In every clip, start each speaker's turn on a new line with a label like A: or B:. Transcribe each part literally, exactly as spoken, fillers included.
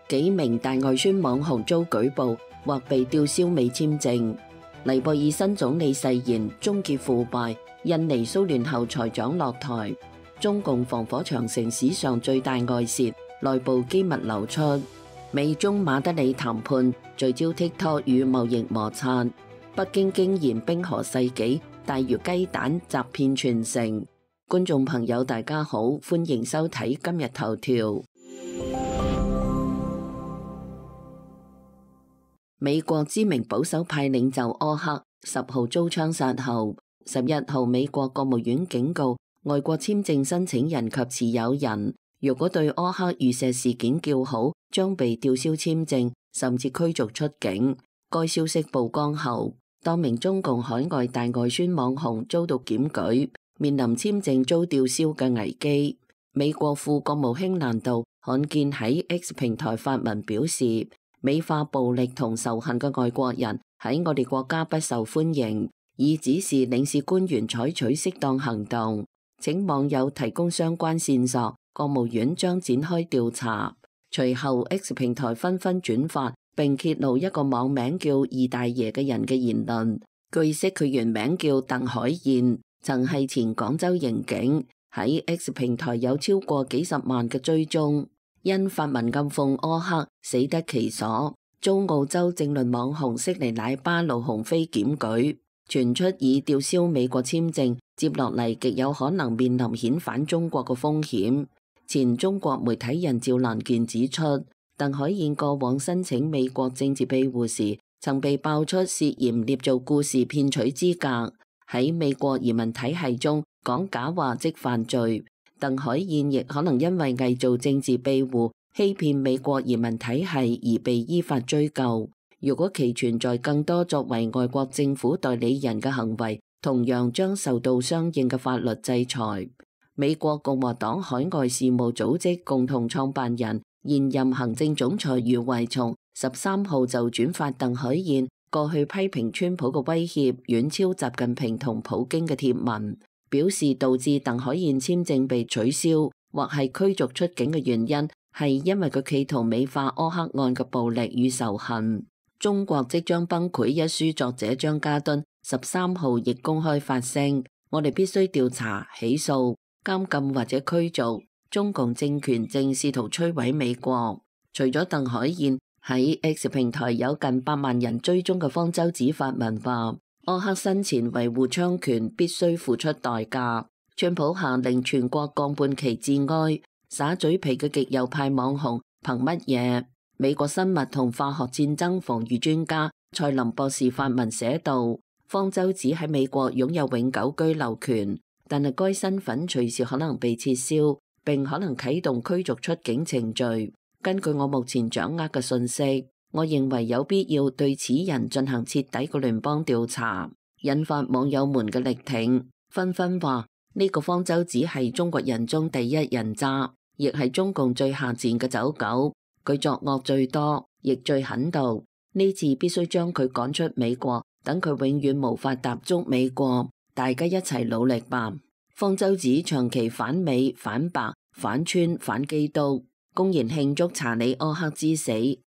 A: 幾名大外宣網紅遭舉報或被吊銷美簽證。尼泊爾新總理誓言終結腐敗。印尼騷亂後財長落台。中共防火長城史上最大外泄，內部機密流出。美中馬德里談判聚焦 TikTok 與貿易摩擦。北京驚現冰河世紀，大如雞蛋砸遍全城。觀眾朋友大家好，歡迎收睇今日頭條。美國知名保守派領袖柯克十號遭槍殺後，十一號美國國務院警告外國簽證申請人及持有人，如果對柯克遇刺事件叫好，將被吊銷簽證，甚至驅逐出境。該消息曝光後，多名中共海外大外宣網紅遭到檢舉，面臨簽證遭吊銷嘅危機。美國副國務卿蘭道罕見喺 X 平台發文表示，美化暴力同仇恨嘅外國人喺我哋國家不受歡迎，已指示領事官員採取適當行動，請網友提供相關線索，國務院將展開調查。隨後 X 平台紛紛轉發並揭露一個網名叫二大爺嘅人嘅言論。據悉佢原名叫鄧海燕，曾係前廣州刑警，喺 X 平台有超過幾十萬嘅追蹤。因發文暗諷柯克死得其所，遭澳洲政論網紅悉尼奶巴盧鴻飛檢舉，傳出已吊銷美國簽證，接落嚟極有可能面臨遣返中國嘅風險。前中國媒體人趙蘭健指出，鄧海燕過往申請美國政治庇護時，曾被爆出涉嫌捏造故事騙取資格，喺美國移民體系中講假話即犯罪。鄧海燕亦可能因為偽造政治庇護、欺騙美國移民體系而被依法追究。如果其存在更多作為外國政府代理人嘅行為，同樣將受到相應嘅法律制裁。美國共和黨海外事務組織共同創辦人、現任行政總裁余偉松十三號就轉發鄧海燕過去批評川普嘅威脅遠超習近平同普京嘅貼文，表示導致鄧海燕簽證被取消或係驅逐出境嘅原因係因為佢企圖美化柯克案嘅暴力與仇恨。中國即將崩潰一書作者張家敦十三號亦公開發聲，我哋必須調查、起訴、監禁或者驅逐。中共政權正試圖摧毀美國。除咗鄧海燕，喺 X 平台有近百萬人追蹤嘅方舟子發文話，柯克生前維護槍權必須付出代價。川普下令全國降半旗致哀，耍嘴皮嘅極右派網紅憑乜嘢？美國生物同化學戰爭防禦專家蔡林博士發文寫道，方舟子喺美國擁有永久居留權，但係該身份隨時可能被撤銷，並可能啟動驅逐出境程序。根據我目前掌握嘅信息，我認為有必要對此人進行徹底嘅聯邦調查，引發網友們嘅力挺，紛紛話呢個方舟子係中國人中第一人渣，亦係中共最下賤嘅走狗。佢作惡最多，亦最狠毒。呢次必須將佢趕出美國，等佢永遠無法踏足美國。大家一齊努力吧。方舟子長期反美、反白、反川、反基督，公然慶祝查理柯克之死，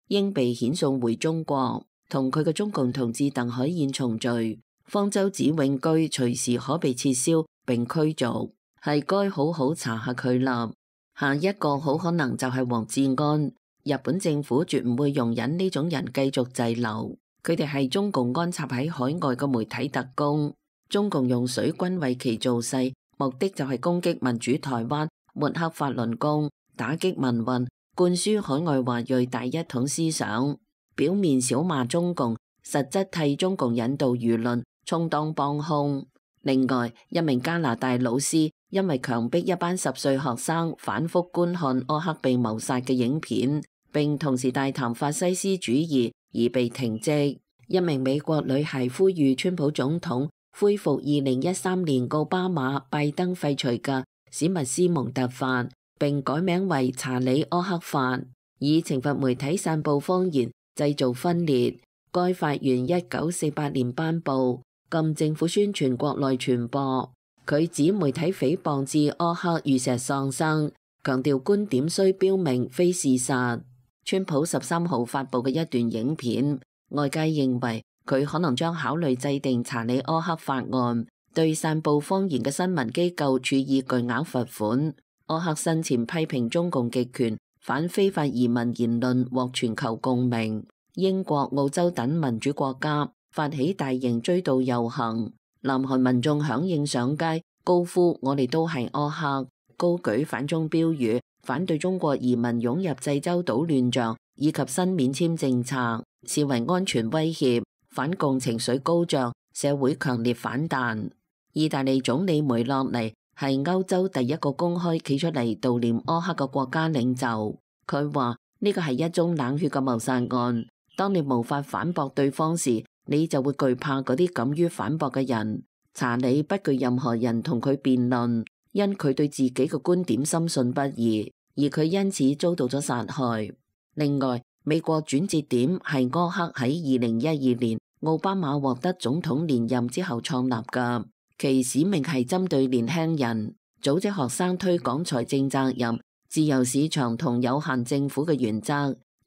A: 應被遣送回中國，同佢嘅中共同志鄧海燕重聚。方舟子永居隨時可被撤銷並驅逐，係該好好查下佢啦。下一個好可能就係黃志安。日本政府絕唔會容忍呢種人繼續滯留，佢哋係中共安插喺海外嘅媒體特工。中共用水軍為其造勢，目的就係攻擊民主台灣，抹黑法輪功，打擊民運，灌輸海外華裔大一統思想，表面小罵中共，實質替中共引導輿論，充當幫兇。另外，一名加拿大老師因為強迫一班十歲學生反覆觀看柯克被謀殺嘅影片，並同時大談法西斯主義而被停職。一名美國女孩呼籲川普總統恢復二零一三年奧巴馬拜登廢除嘅史密斯蒙特法，並改名為查理柯克法，以懲罰媒體散布謊言、製造分裂。該法源一九四八年頒布，禁政府宣傳國內傳播。佢指媒體誹謗致柯克遇刺喪生，強調觀點需標明非事實。川普十三號發布嘅一段影片，外界認為佢可能將考慮制定查理柯克法案，對散布謊言嘅新聞機構處以巨額罰款。柯克生前批評中共極權、反非法移民言論獲全球共鳴，英國、澳洲等民主國家發起大型追悼遊行，南韓民眾響應上街，高呼我哋都係柯克，高舉反中標語，反對中國移民湧入濟州島亂象以及新免簽政策，視為安全威脅，反共情緒高漲，社會強烈反彈。意大利總理梅洛尼係歐洲第一個公開企出嚟悼念柯克嘅國家領袖。佢話呢個係一宗冷血嘅謀殺案。當你無法反駁對方時，你就會懼怕嗰啲敢於反駁嘅人。查理不懼任何人同佢辯論，因佢對自己嘅觀點深信不疑，而佢因此遭到咗殺害。另外，美國轉折點係柯克喺二零一二年奧巴馬獲得總統連任之後創立嘅。其使命係針對年輕人，組織學生推廣財政責任、自由市場同有限政府嘅原則。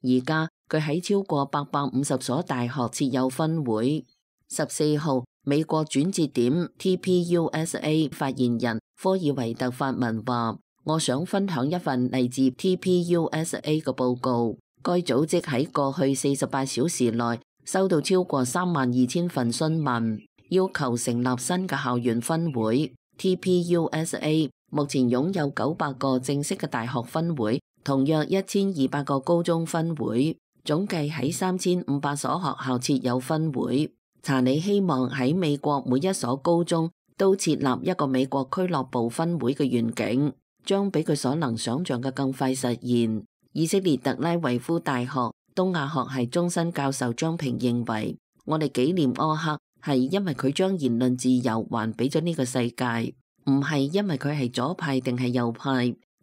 A: 而家佢喺超過八百五十所大學設有分會。十四號，美國轉折點 T P U S A 發言人科爾維特發文話：我想分享一份嚟自 T P U S A 嘅報告。該組織喺過去四十八小時內收到超過三萬二千份詢問，要求成立新嘅校園分會。T P U S A 目前擁有九百個正式嘅大學分會，同約一千二百個高中分會，總計喺三千五百所學校設有分會。查理希望喺美國每一所高中都設立一個美國俱樂部分會嘅願景，將比佢所能想象嘅更快實現。以色列特拉維夫大學東亞學系終身教授張平認為，我哋紀念柯克係因為佢將言論自由還俾咗呢個世界，唔係因為佢係左派定係右派，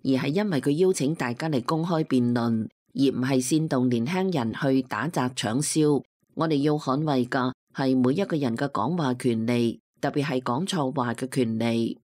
A: 而係因為佢邀請大家嚟公開辯論，而唔係煽動年輕人去打砸搶燒。我哋要捍衛嘅係每一個人嘅講話權利，特別係講錯話嘅權利。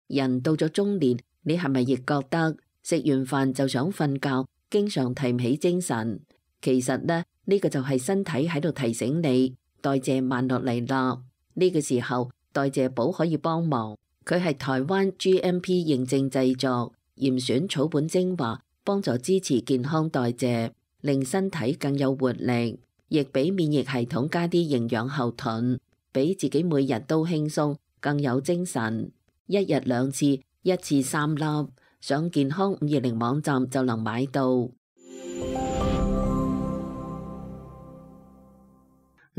A: 人到咗中年，你係咪亦覺得食完飯就想瞓覺，經常提唔起精神？其實呢，呢個就係身體喺度提醒你代謝慢落嚟啦。呢個時候代謝寶可以幫忙，佢係台灣 G M P 認證製作，嚴選草本精華，幫助支持健康代謝，令身體更有活力，亦俾免疫系統加啲營養後盾，俾自己每日都輕鬆，更有精神。一日兩次，一次三粒，上健康五二零網站就能買到。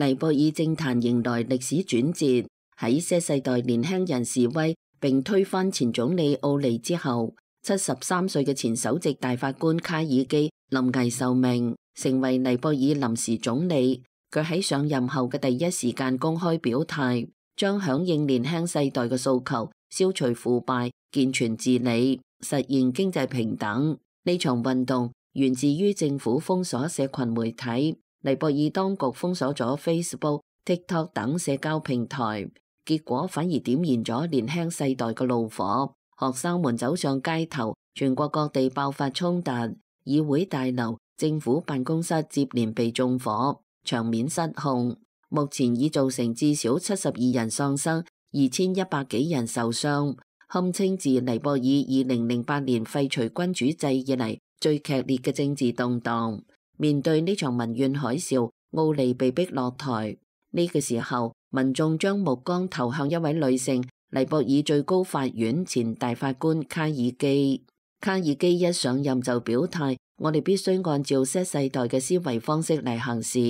A: 尼泊爾政壇迎來歷史轉折，喺 Z 世代年輕人示威並推翻前總理奧尼之後，七十三歲嘅前首席大法官卡爾基臨危受命，成為尼泊爾臨時總理。佢喺上任後嘅第一時間公開表態，將響應年輕世代嘅訴求，消除腐敗、健全治理、實現經濟平等。呢場運動源自於政府封鎖社群媒體。尼泊爾當局封鎖咗 Facebook、TikTok 等社交平台，結果反而點燃咗年輕世代嘅怒火。學生們走上街頭，全國各地爆發衝突，議會大樓、政府辦公室接連被縱火，場面失控。目前已造成至少七十二人喪生，二千一百幾人受傷，堪稱自尼泊爾二零零八年廢除君主制以嚟最劇烈嘅政治動盪。面對呢場民怨海嘯，奧尼被逼落台。呢、這個時候，民眾將目光投向一位女性，尼泊爾最高法院前大法官卡爾基。卡爾基一上任就表態，我哋必須按照 Z 世代嘅思維方式嚟行事。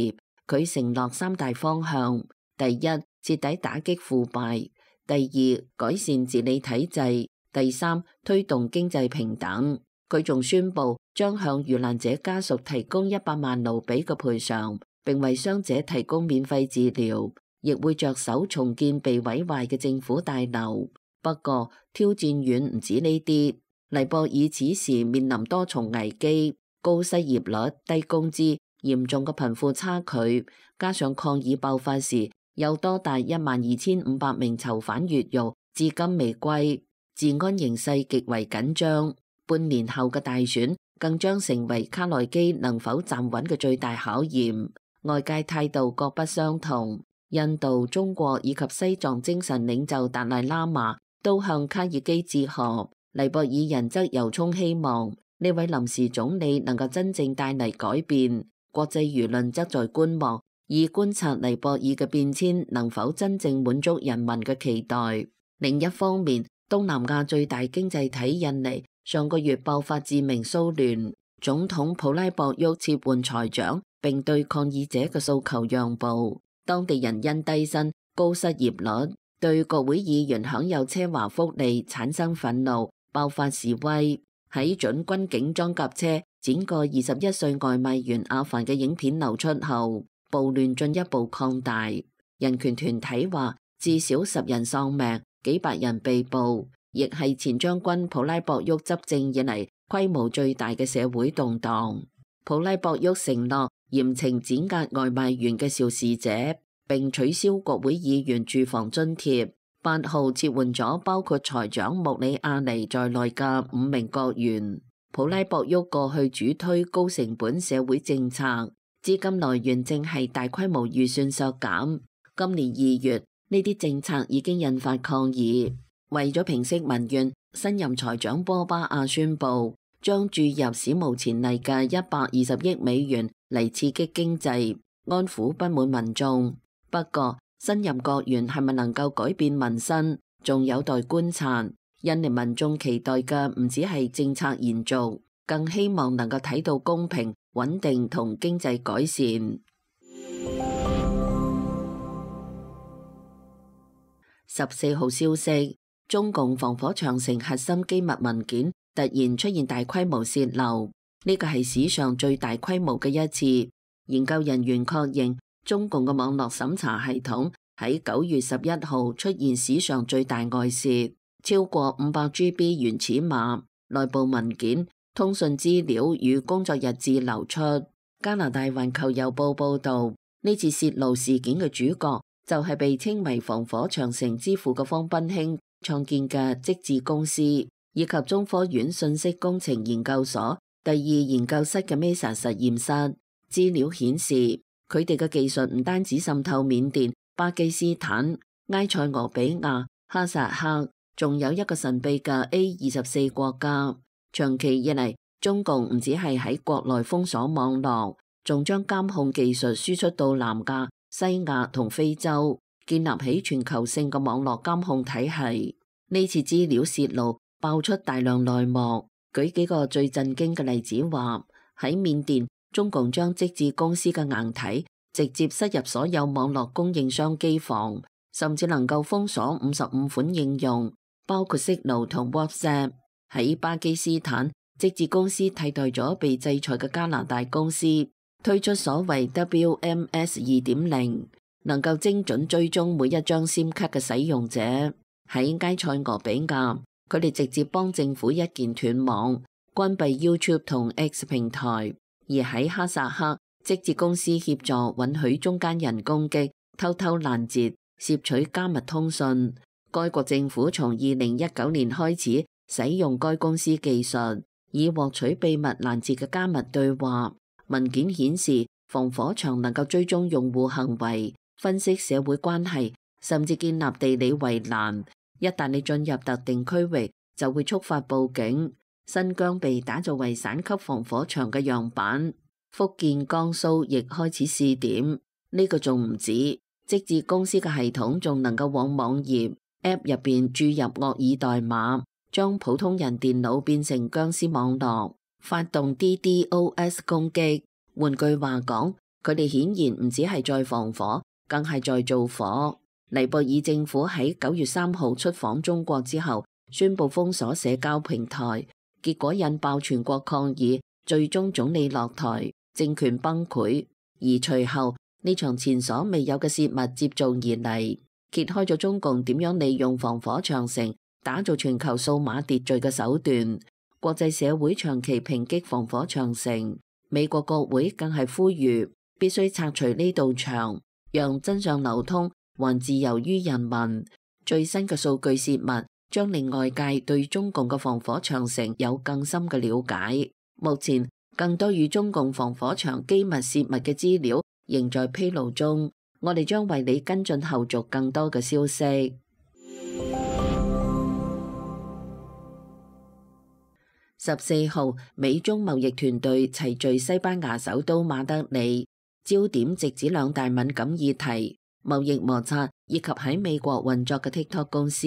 A: 佢承諾三大方向：第一，徹底打擊腐敗；第二，改善治理體制；第三，推動經濟平等。佢仲宣布將向遇難者家屬提供一百萬盧比嘅賠償，並為傷者提供免費治療，亦會着手重建被毀壞嘅政府大樓。不過挑戰遠唔止呢啲，尼泊爾此時面臨多重危機：高失業率、低工資、嚴重嘅貧富差距，加上抗議爆發時有多達一萬二千五百名囚犯越獄，至今未歸，治安形勢極為緊張。半年後嘅大選，更將成為卡內基能否站穩嘅最大考驗。外界態度各不相同，印度、中國以及西藏精神領袖達賴喇嘛都向卡爾基致賀，尼泊爾人則由衷希望呢位臨時總理能夠真正帶嚟改變。國際輿論則在觀望，以觀察尼泊爾嘅變遷能否真正滿足人民嘅期待。另一方面，東南亞最大經濟體印尼上個月爆發致命騷亂，總統普拉博沃撤換財長，並對抗議者嘅訴求讓步。當地人因低薪、高失業率，對國會議員享有奢華福利產生憤怒，爆發示威。喺準軍警裝甲車剪過二十一歲外賣員阿凡嘅影片流出後，暴亂進一步擴大。人權團體話，至少十人喪命，幾百人被捕，亦係前將軍普拉博沃執政以嚟規模最大嘅社會動盪。普拉博沃承諾嚴懲剪壓外賣員嘅肇事者，並取消國會議員住房津貼。八號撤換咗包括財長穆里亞尼在內嘅五名國員。普拉博沃過去主推高成本社會政策，資金來源正係大規模預算削減。今年二月，呢啲政策已經引發抗議。為咗平息民怨，新任財長波巴亞宣布將注入史無前例嘅一百二十億美元嚟刺激經濟，安撫不滿民眾。不過，新任國員係咪能夠改變民生，仲有待觀察。印尼民眾期待嘅唔只係政策延續，更希望能夠睇到公平、穩定同經濟改善。十四號消息，中共防火長城核心機密文件突然出現大規模洩漏，呢個係史上最大規模嘅一次。研究人員確認，中共嘅網絡審查系統喺九月十一號出現史上最大外洩，超過五百 G B 原始碼、內部文件、通訊資料與工作日誌流出。加拿大環球郵報報導，呢次洩露事件嘅主角就係被稱為防火長城之父嘅方斌興創建嘅積智公司，以及中科院信息工程研究所第二研究室嘅 Mesa 實驗室。資料顯示，佢哋嘅技術唔單止滲透緬甸、巴基斯坦、埃塞俄比亞、哈薩克，仲有一個神秘嘅 A 二十四國家。長期以嚟，中共唔止係喺國內封鎖網絡，仲將監控技術輸出到南亞、西亞同非洲，建立起全球性嘅網絡監控體系。呢次資料洩露爆出大量內幕，舉幾個最震驚嘅例子話，喺緬甸，中共將積智公司嘅硬體直接塞入所有網絡供應商機房，甚至能夠封鎖五十五款應用，包括 Signal 同 WhatsApp。喺巴基斯坦，積智公司替代咗被制裁嘅加拿大公司，推出所謂 W M S 二點零，能夠精準追蹤每一張 SIM 卡嘅使用者。喺埃塞俄比亞，佢哋直接幫政府一鍵斷網，關閉 YouTube 同 X 平台。而喺哈薩克，積智公司協助允許中間人攻擊、偷偷攔截、竊取加密通訊。該國政府從二零一九年開始使用該公司技術，以獲取秘密攔截嘅加密對話。文件顯示，防火牆能夠追蹤用戶行為、分析社會關係，甚至建立地理圍欄。一旦你進入特定區域，就會觸發報警。新疆被打造為省級防火牆嘅樣板，福建、江蘇亦開始試點。呢個仲唔止，積智公司嘅系統仲能夠往網頁 App 入邊注入惡意代碼，將普通人電腦變成僵屍網絡，發動 D D O S 攻擊。換句話講，佢哋顯然唔止係在防火，更係在造火。尼泊爾政府喺九月三號出訪中國之後，宣布封鎖社交平台。結果引爆全國抗議，最終總理落台，政權崩潰。而隨後呢場前所未有嘅洩密接踵而嚟，揭開咗中共點樣利用防火長城打造全球數碼秩序嘅手段。國際社會長期抨擊防火長城，美國國會更係呼籲必須拆除呢道牆，讓真相流通，還自由於人民。最新嘅數據洩密將令外界對中共嘅防火長城有更深嘅了解。目前更多與中共防火牆機密泄密嘅資料仍在披露中，我哋將為你跟進後續更多嘅消息。十四號，美中貿易團隊齊聚西班牙首都馬德里，焦點直指兩大敏感議題：貿易摩擦以及喺美國運作嘅 TikTok 公司。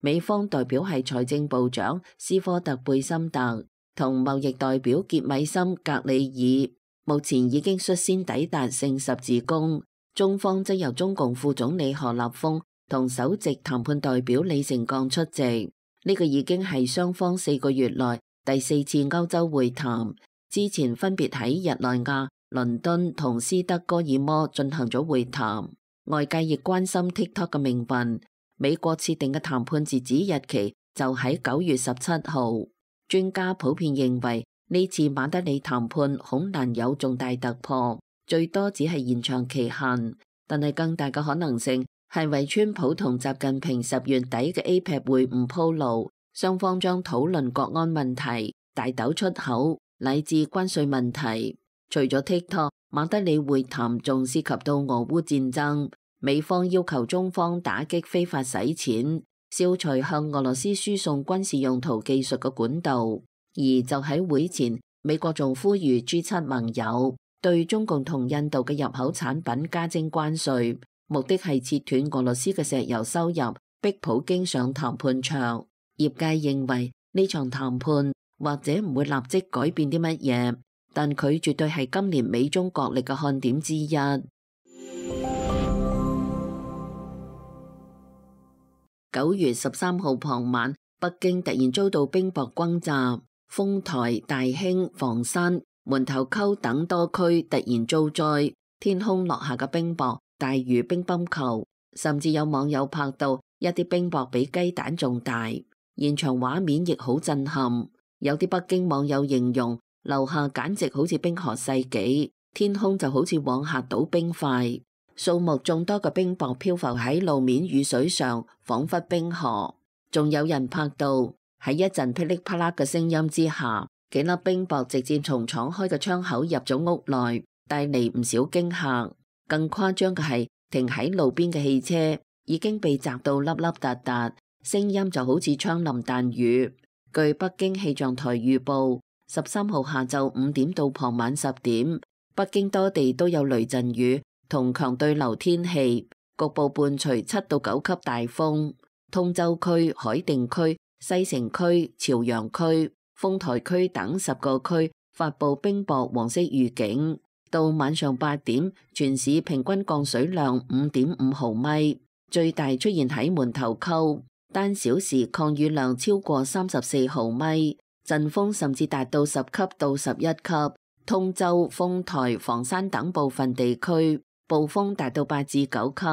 A: 美方代表係財政部長斯科特貝森特同貿易代表傑米森格里爾，目前已經率先抵達聖十字宮。中方則由中共副總理何立峰同首席談判代表李成鋼出席。呢個已經係雙方四個月內第四次歐洲會談，之前分別喺日內瓦、倫敦同斯德哥爾摩進行咗會談。外界亦關心 TikTok 嘅命運，美國設定嘅談判截止日期就喺九月十七號。專家普遍認為呢次馬德里談判恐難有重大突破，最多只係延長期限，但係更大嘅可能性係為川普同習近平十月底嘅 A P E C 會晤鋪路。雙方將討論國安問題、大豆出口乃至關稅問題。除咗 TikTok， 馬德里會談仲涉及到俄烏戰爭。美方要求中方打擊非法洗錢，消除向俄羅斯輸送軍事用途技術嘅管道。而就喺會前，美國仲呼籲 G 七盟友對中共同印度嘅入口產品加徵關稅，目的係切斷俄羅斯嘅石油收入，逼普京上談判桌。業界認為呢場談判或者唔會立即改變啲乜嘢，但佢絕對係今年美中角力嘅看點之一。九月十三號傍晚，北京突然遭到冰雹轟炸，豐台、大興、房山、門頭溝等多區突然遭災，天空落下嘅冰雹大如乒乓球，甚至有網友拍到一啲冰雹比雞蛋仲大。現場畫面亦好震撼，有啲北京網友形容樓下簡直好似冰河世紀，天空就好似往下倒冰塊，數目眾多嘅冰雹漂浮喺路面雨水上，仿佛冰河。仲有人拍到喺一陣噼里啪啦嘅聲音之下，幾粒冰雹直接從敞開嘅窗口入咗屋內，帶嚟唔少驚嚇。更誇張嘅係，停喺路邊嘅汽車已經被砸到粒粒突突。聲音就好似槍林彈雨。據北京氣象台預報，十三號下晝五點到傍晚十點，北京多地都有雷陣雨同強對流天氣，局部伴隨七到九級大風。通州區、海淀區、西城區、朝陽區、豐台區等十個區發布冰雹黃色預警。到晚上八點，全市平均降水量五點五毫米，最大出現喺門頭溝。單小時降雨量超過三十四毫米，陣風甚至達到十級到十一級。通州、豐台、房山等部分地區暴風達到八至九級。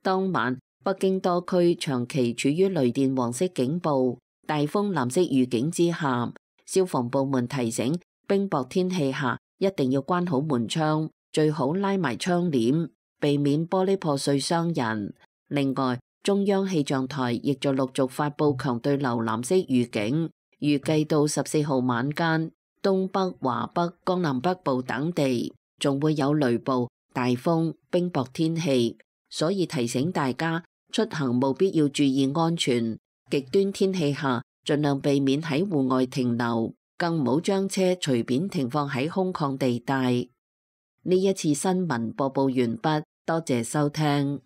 A: 當晚北京多區長期處於雷電黃色警報、大風藍色預警之下，消防部門提醒冰雹天氣下一定要關好門窗，最好拉埋窗簾，避免玻璃破碎傷人。另外，中央氣象台亦在陸續發佈強對流藍色預警，預計到十四號晚間，東北、華北、江南北部等地仲會有雷暴、大風、冰雹天氣，所以提醒大家出行務必要注意安全，極端天氣下盡量避免喺戶外停留，更唔好將車隨便停放喺空曠地帶。呢一次新聞播報完畢，多謝收聽。